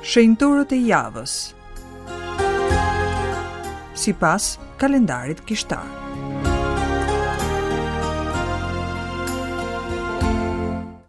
Shenjtorët e javës. Sipas kalendarit kishtar.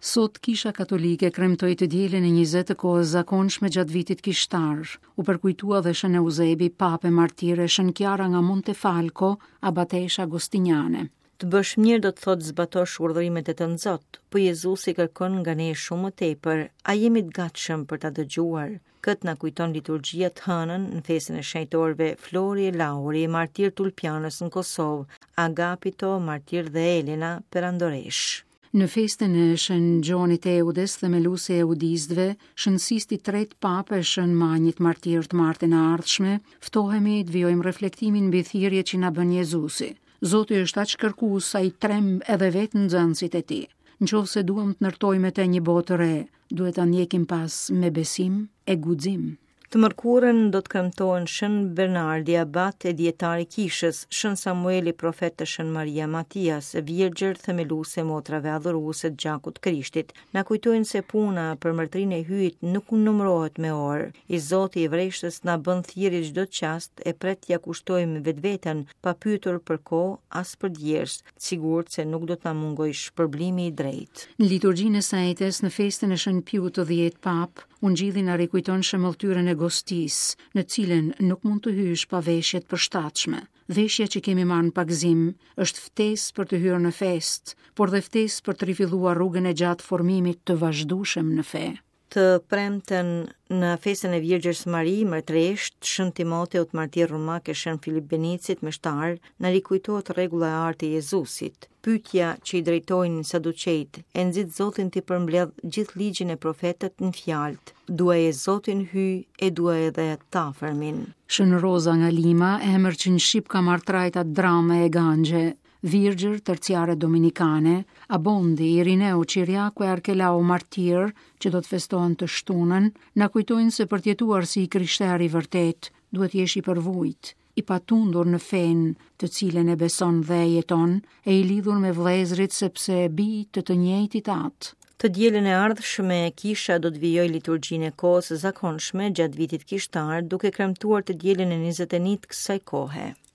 Sot Kisha Katolike kremtoi të dielën e 20 të kohës zakonshme gjatë vitit kishtar. U përkujtua dhe Shën Euzebi, Papë e martir e Shën Kiara nga Montefalco, abateshë agostiniane. Të bësh mirë do të thotë zbatosh urdhërimet e Tënzot, po Jezusi kërkon nga ne shumë më tepër. A jemi të gatshëm për ta dëgjuar? Këtë na kujton liturgjia të hënën në festën e shenjtorëve Flori e Lauri, martirë të Ulpianës në Kosovë, Agapito, martir dhe Elena, perandoreshë. Në festën e Shën Gjonit Eudes, themelues i eudistëve, Shën Sistit i tretë Papë e Shën Manjit martir të martën e ardhshme, ftohemi të vijojmë reflektimin mbi thirrjet që na bën Jezusi. Zoti është aq kërkues sa i tremb edhe vetë nxënësit e tij. Në qoftë se duam të ndërtojmë me të një botë të re, duhet ta ndjekim pas me besim e guxim. Të mërkurën do të kremtohen Shën Bernardi, abat e dijetar i kishës, Shën Samueli, profet e Shën Maria Matias, virgjër themeluese e motrave adhuruese të gjakut të Krishtit. Na kujtojnë se puna për mbretërinë e Hyjit nuk numërohet me orë. I Zoti i vreshtës na bën thirrje çdo çast e pret t'ia kushtojmë vetveten, pa pyetur për kohë as për djersë, të sigurt se nuk do të na mungojë shpërblimi i drejtë. Në liturgjinë e së enjtes në festën e Shën Piut të dhjetë Papë, Ungjilli na rikujton shemëlltyrën e gostisë, në të cilën nuk mund të hysh pa veshje të përshtatshme. Veshja që kemi marrë në pagëzim është ftesë për të hyrë në festë, por dhe ftesë për të rifilluar rrugën e gjatë formimit të vazhdueshëm në fe. Të premten në festën e Virgjërs Mari, Mbretëreshë, Shën Timoteut martir romak e Shën Filip Benicit meshtar, na rikujtohet rregulla e artë e Jezusit. Pyetja që i drejtojnë saduqejtë e nxit Zotin t'i përmbledhë gjithë ligjin e profetët në fjalët, duaje Zotin Hyj e duaje edhe t'afërmin. Shën Roza nga Lima, emër që në shqip ka marrë trajta drame e ganxhe, virgjër terciare dominikane, Abondi, Irineu, Qiriaku e Arkelao martirë, që do të festohen të shtunën, na kujtojnë se për të jetuar si i krishterë i vërtetë, duhet të jesh i përvujtë, i patundur në fenë të cilën e beson dhe e jeton, e i lidhur me vëllezërit sepse bij të të njëjtit atë. Të dielën e ardhshme, kisha do të vijojë liturgjinë e kohës së zakonshme gjatë vitit kishtar, duke kremtuar të dielën e 21 të kësaj kohe.